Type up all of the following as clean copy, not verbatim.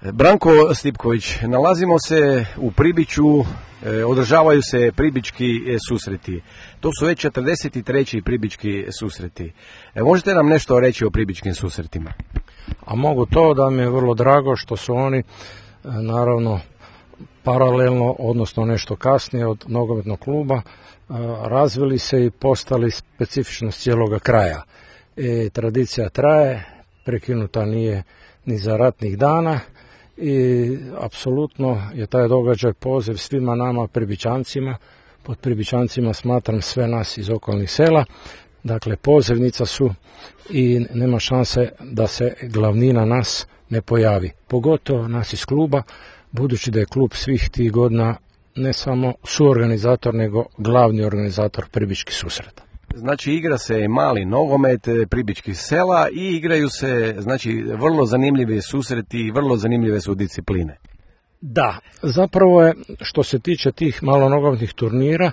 Branko Stipković, nalazimo se u Pribiću, održavaju se pribički susreti. To su već 43. pribički susreti. Možete nam nešto reći o pribičkim susretima? A mogu to, da mi je vrlo drago što su oni naravno paralelno, odnosno nešto kasnije od nogometnog kluba, razvili se i postali specifičnost cijeloga kraja. Tradicija traje, prekinuta nije ni za ratnih dana i apsolutno je taj događaj poziv svima nama Pribičancima. Pod Pribičancima smatram sve nas iz okolnih sela. Dakle, pozivnica su i nema šanse da se glavnina nas ne pojavi. Pogotovo nas iz kluba, budući da je klub svih tih godina ne samo suorganizator, nego glavni organizator pribičkih susreta. Znači, igra se mali nogomet pribičkih sela i igraju se, znači, vrlo zanimljivi susreti i vrlo zanimljive su discipline. Da, zapravo je, što se tiče tih malonogometnih turnira,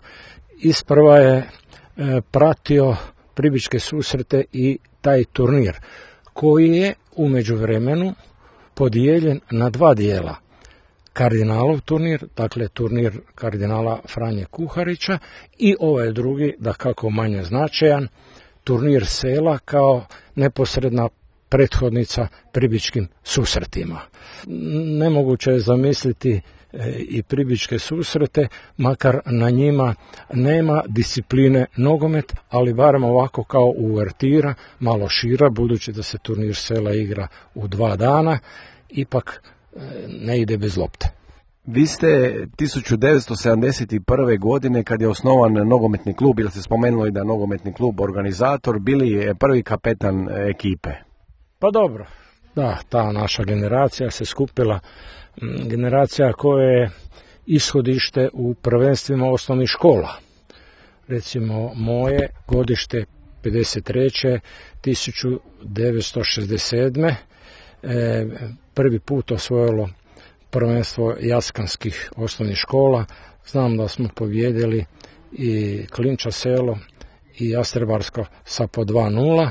isprva je pratio pribičke susrete i taj turnir, koji je u međuvremenu podijeljen na dva dijela. Kardinalov turnir, dakle turnir kardinala Franje Kuharića, i ovaj drugi, dakako manje značajan, turnir sela kao neposredna prethodnica pribičkim susretima. Nemoguće je zamisliti i pribičke susrete, makar na njima nema discipline nogomet, ali barem ovako kao uvertira, malo šira, budući da se turnir sela igra u 2 dana, ipak ne ide bez lopte. Vi ste 1971. godine, kad je osnovan nogometni klub, ili ste spomenuli da je nogometni klub organizator, bili prvi kapetan ekipe. Pa dobro, da, ta naša generacija se skupila, generacija koja je ishodište u prvenstvima osnovnih škola. Recimo moje godište 53. 1967. Prvi put osvojilo prvenstvo jaskanskih osnovnih škola. Znam da smo pobijedili i Klinča selo i Jastrebarsko sa po 2:0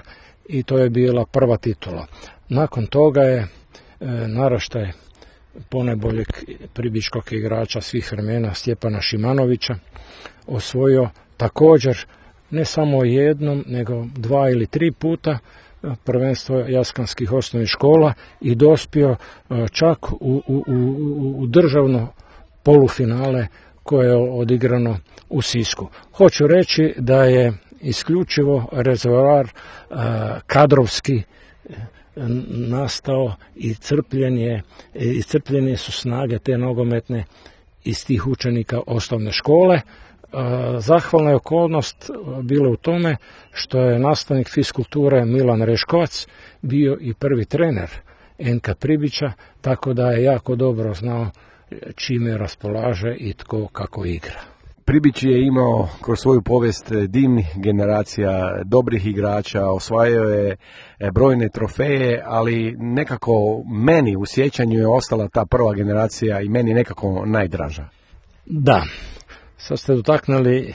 i to je bila prva titula. Nakon toga je naraštaj ponajboljeg pribičkog igrača svih vremena Stjepana Šimanovića osvojio također ne samo jednom, nego 2 ili 3 puta prvenstvo jaskanskih osnovnih škola i dospio čak u državno polufinale koje je odigrano u Sisku. Hoću reći da je isključivo rezervoar kadrovski nastao i iscrpljene su snage te nogometne iz tih učenika osnovne škole. Zahvalna je okolnost bila u tome što je nastavnik fiskulture Milan Reškovac bio i prvi trener NK Pribića, tako da je jako dobro znao čime raspolaže i tko kako igra. Pribić je imao kroz svoju povijest divnih generacija, dobrih igrača, osvajao je brojne trofeje, ali nekako meni u sjećanju je ostala ta prva generacija i meni nekako najdraža. Da, sad ste dotaknuli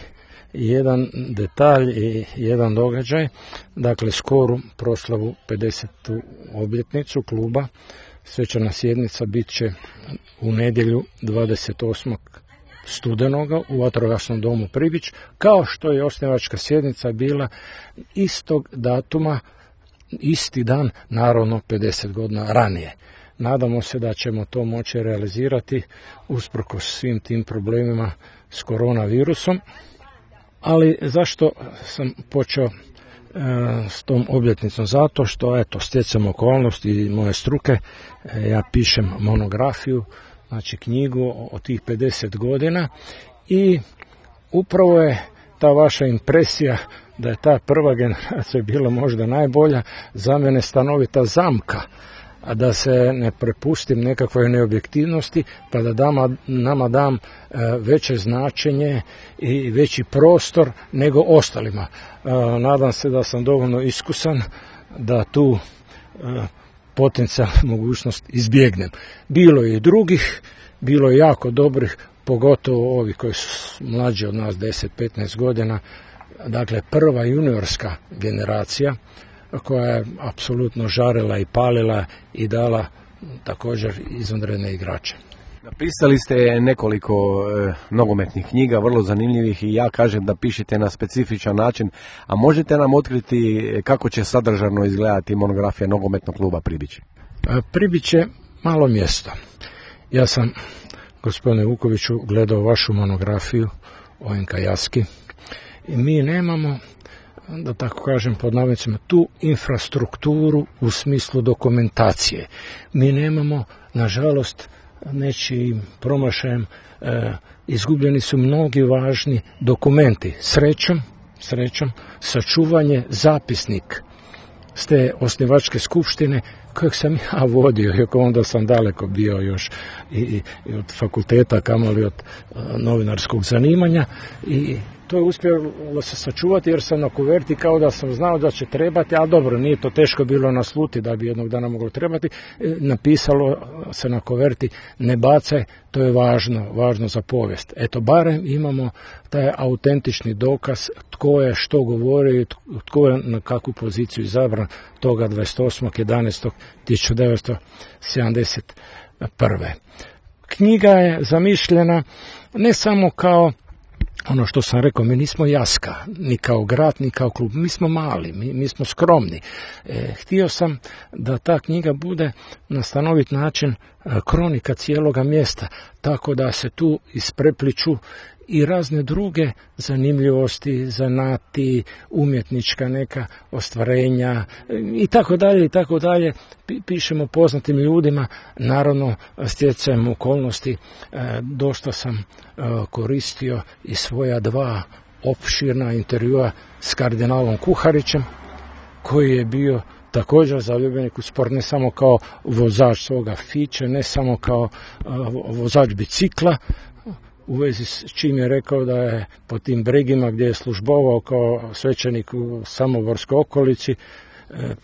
jedan detalj i jedan događaj, dakle skoru proslavu 50. obljetnicu kluba. Svečana sjednica bit će u nedjelju 28. studenoga u vatrogasnom domu Pribić, kao što je osnivačka sjednica bila istog datuma, isti dan, naravno 50 godina ranije. Nadamo se da ćemo to moći realizirati usprkos svim tim problemima s koronavirusom. Ali zašto sam počeo s tom obljetnicom? Zato što, eto, stjecam okolnosti i moje struke, ja pišem monografiju, znači knjigu o tih 50 godina i upravo je ta vaša impresija da je ta prva generacija bila možda najbolja, za mene stanovita zamka, a da se ne prepustim nekakvoj neobjektivnosti, pa da nama dam veće značenje i veći prostor nego ostalima. Nadam se da sam dovoljno iskusan da tu potencijalnu mogućnost izbjegnem. Bilo je i drugih, bilo je jako dobrih, pogotovo ovi koji su mlađi od nas 10-15 godina, dakle prva juniorska generacija koja je apsolutno žarila i palila i dala također izvanredne igrače. Napisali ste nekoliko nogometnih knjiga, vrlo zanimljivih, i ja kažem da pišete na specifičan način, a možete nam otkriti kako će sadržajno izgledati monografija nogometnog kluba Pribići? Pribić je malo mjesto. Ja sam, gospodine Vukoviću, gledao vašu monografiju o NK Jaski i mi nemamo, da tako kažem pod navodnicima, tu infrastrukturu u smislu dokumentacije. Mi nemamo, nažalost, nečijim promašajem izgubljeni su mnogi važni dokumenti. Srećom, sačuvanje zapisnik s te osnivačke skupštine kojeg sam ja vodio, iako onda sam daleko bio još i od fakulteta, kamoli od novinarskog zanimanja, i to je uspjelo se sačuvati jer sam na kuverti, kao da sam znao da će trebati, a dobro, nije to teško bilo nasluti da bi jednog dana moglo trebati, napisalo se na kuverti: ne bacaj, to je važno za povijest. Eto, barem imamo taj autentični dokaz tko je što govorio i tko je na kakvu poziciju izabran toga 28.11.1971. Knjiga je zamišljena ne samo kao ono što sam rekao, mi nismo Jaska, ni kao grad, ni kao klub, mi smo mali, mi smo skromni. Htio sam da ta knjiga bude na stanovit način kronika cijeloga mjesta, tako da se tu isprepliču i razne druge zanimljivosti, zanati, umjetnička neka ostvarenja i tako dalje. Pišemo poznatim ljudima, naravno stjecajem okolnosti. Dosta sam koristio i svoja 2 opširna intervjua s kardinalom Kuharićem, koji je bio također zaljubljenik u sport, ne samo kao vozač svoga fiće, ne samo kao vozač bicikla, u vezi s čim je rekao da je po tim bregima gdje je službovao kao svećenik u Samoborskoj okolici,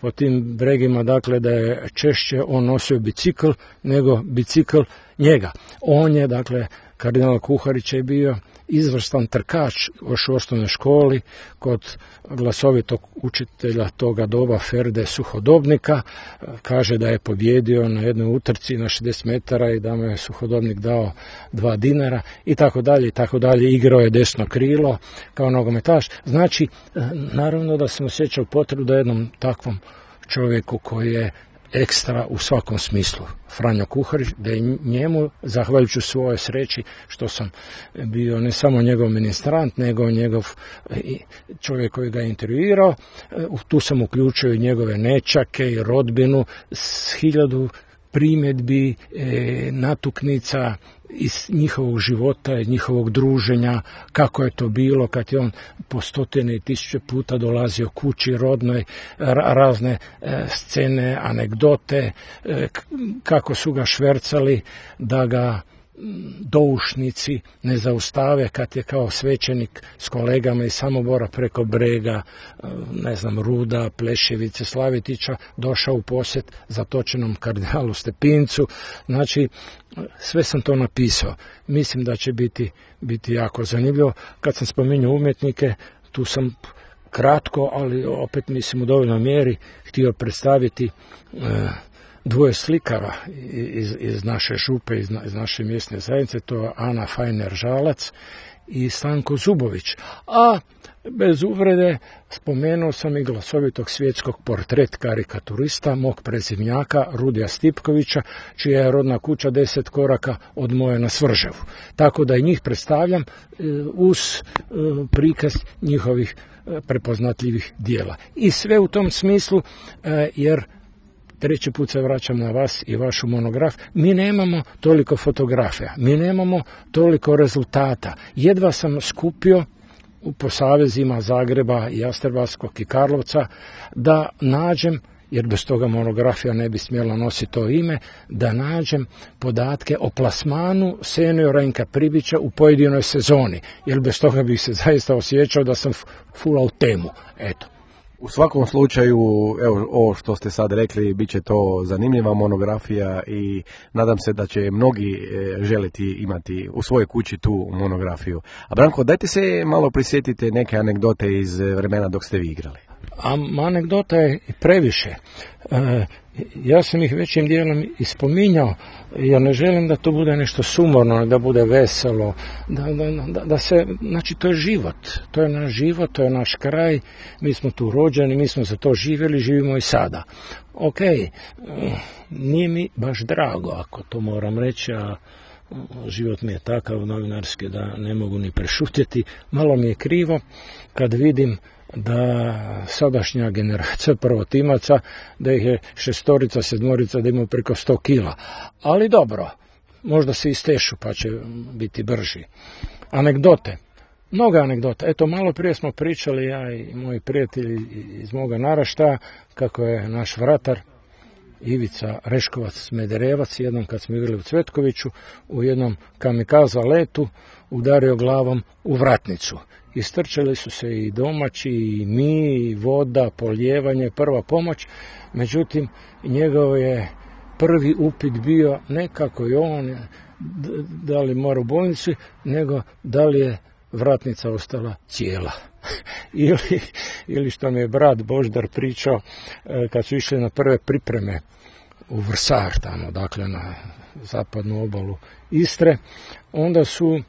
po tim bregima, dakle, da je češće on nosio bicikl nego bicikl njega. On je, dakle, kardinal Kuharić je bio izvrstan trkač još u osnovnoj školi kod glasovitog učitelja toga doba Ferde Suhodobnika. Kaže da je pobjedio na jednoj utrci na 60 metara i da mu je Suhodobnik dao 2 dinara i tako dalje. Igrao je desno krilo kao nogometaš. Znači, naravno da sam osjećao potrebu da jednom takvom čovjeku koji je ekstra u svakom smislu, Franjo Kuharić, da je njemu, zahvaljujući svojoj sreći što sam bio ne samo njegov ministrant, nego njegov čovjek koji ga je intervjuirao, tu sam uključio i njegove nećake i rodbinu s 1000 primjedbi, natuknica iz njihovog života, iz njihovog druženja, kako je to bilo kad je on po 100 i 1000 puta dolazio kući rodnoj, razne scene, anegdote, kako su ga švercali da ga doušnici ne zaustave kad je kao svećenik s kolegama iz Samobora preko Brega, Ruda, Pleševice, Slavetića došao u posjet zatočenom kardinalu Stepincu. Znači, sve sam to napisao. Mislim da će biti jako zanimljivo. Kad sam spominjao umjetnike, tu sam kratko, ali opet mislim u dovoljnoj mjeri htio predstaviti 2 slikara iz naše župe, iz naše mjesne zajednice, to je Ana Fajner-Žalac i Stanko Zubović. A bez uvrede spomenuo sam i glasovitog svjetskog portret karikaturista, mog prezimnjaka Rudija Stipkovića, čija je rodna kuća 10 koraka od moje na Svrževu. Tako da i njih predstavljam uz prikaz njihovih prepoznatljivih dijela. I sve u tom smislu, jer 3. put se vraćam na vas i vašu monografiju, mi nemamo toliko fotografija, mi nemamo toliko rezultata. Jedva sam skupio po savezima Zagreba, Jastrebarskog i Karlovca da nađem, jer bez toga monografija ne bi smjela nositi to ime, da nađem podatke o plasmanu seniora NK Pribića u pojedinoj sezoni, jer bez toga bih se zaista osjećao da sam fulao temu. Eto. U svakom slučaju, evo, ovo što ste sad rekli, bit će to zanimljiva monografija i nadam se da će mnogi želiti imati u svojoj kući tu monografiju. A Branko, dajte se malo prisjetite neke anegdote iz vremena dok ste vi igrali. A anegdota je previše. Ja sam ih većim dijelom ispominjao, jer ne želim da to bude nešto sumorno, da bude veselo, da se, znači to je život, to je naš život, to je naš kraj, mi smo tu rođeni, mi smo za to živjeli, živimo i sada. Ok, nije mi baš drago, ako to moram reći, a život mi je takav novinarski da ne mogu ni prešutjeti. Malo mi je krivo kad vidim da sadašnja generacija prvotimaca, da ih je 6, 7, da imaju preko 100 kila. Ali dobro, možda se istešu pa će biti brži. Anegdote, mnoga anegdota. Eto, malo prije smo pričali, ja i moji prijatelji iz moga naraštaja, kako je naš vratar Ivica Reškovac-Smederevac, jednom kad smo igrali u Cvetkoviću, u jednom kamikaza letu udario glavom u vratnicu. Istrčali su se i domaći, i mi, i voda, polijevanje, prva pomoć. Međutim, njegov je prvi upit bio ne kako je on, da li mora u bolnici, nego da li je vratnica ostala cijela. ili što mi je brat Boždar pričao, kad su išli na prve pripreme u Vrsar, tamo, dakle na zapadnu obalu Istre, onda su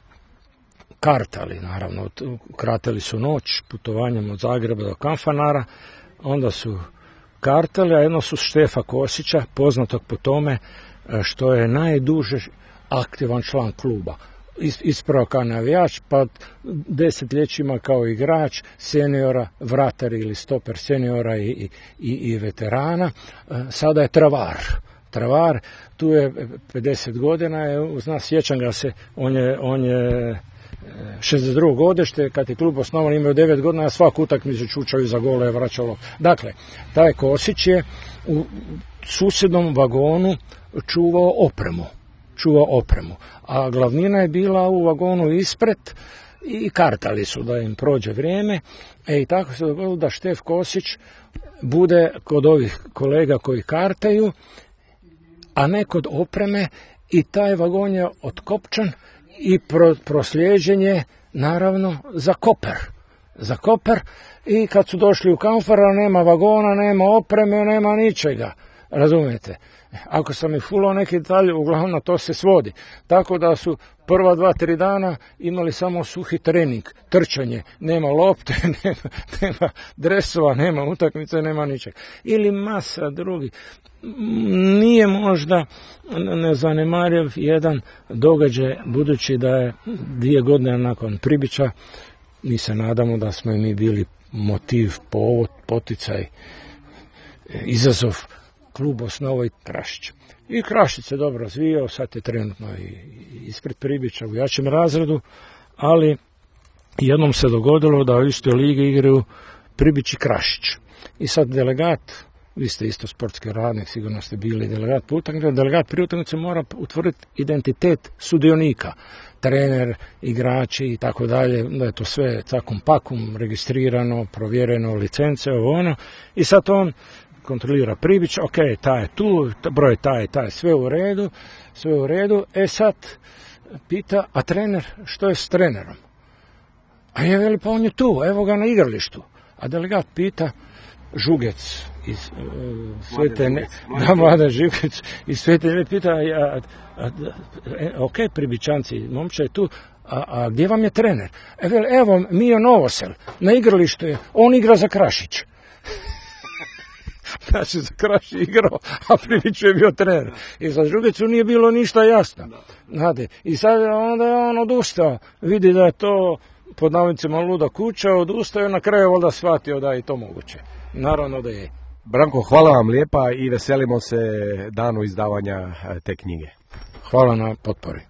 kartali, naravno, kratili su noć putovanjem od Zagreba do Kanfanara, onda su kartali, a jedno su Štefa Kosića, poznatog po tome što je najduže aktivan član kluba. Ispravo kao navijač, pa desetljećima kao igrač, seniora, vratar ili stoper seniora i veterana. Sada je travar, tu je 50 godina, uz nas, sjećam ga se, on je 62. godište, kad je klub osnovan, imao 9 godina, a svaku utakmicu čučaju za gole je vraćalo. Dakle, taj Kosić je u susjednom vagonu čuvao opremu, a glavnina je bila u vagonu ispred i kartali su da im prođe vrijeme, i tako se dogodilo da Štef Kosić bude kod ovih kolega koji kartaju, a ne kod opreme, i taj vagon je otkopčan i proslijeđen je naravno za Koper, i kad su došli u Kanfara, nema vagona, nema opreme, nema ničega, razumijete? Ako sam i fulao neki detalj, uglavnom na to se svodi. Tako da su prva 2-3 dana imali samo suhi trening, trčanje, nema lopte, nema dresova, nema utakmice, nema ničeg. Ili masa drugi. Nije možda nezanemariv jedan događaj, budući da je 2 godine nakon Pribića, mi se nadamo da smo i mi bili motiv, povod, poticaj, izazov, klub osnovao i Krašić. I Krašić se dobro razvijao, sad je trenutno ispred Pribića u jačem razredu, ali jednom se dogodilo da u istoj ligi igraju Pribić i Krašić. I sad delegat, vi ste isto sportski radnik, sigurno ste bili delegat po utakmici, delegat pri utakmici mora utvrditi identitet sudionika, trener, igrači i tako dalje, da je to sve cakum pakum, registrirano, provjereno, licence, ono, i sad on kontrolira Pribić, ok, taj je tu, broj taj, sve u redu, sad pita, a trener, što je s trenerom? A je veli, pa on je tu, evo ga na igralištu. A delegat pita, Žugec iz Mladen Žugec iz Svete, pita, ok, Pribićanci, momče je tu, a gdje vam je trener? Evo, Mijo Novosel, na igralištu je, on igra za Krašić. Znači, za Krašić igrao, a Pribić je bio trener. I za Žugecu nije bilo ništa jasno. Znate, i sad onda je on odustao. Vidi da je to, pod navodnicima, luda kuća, odustao i na kraju valjda shvatio da je to moguće. Naravno da je. Branko, hvala vam lijepa i veselimo se danu izdavanja te knjige. Hvala na potpori.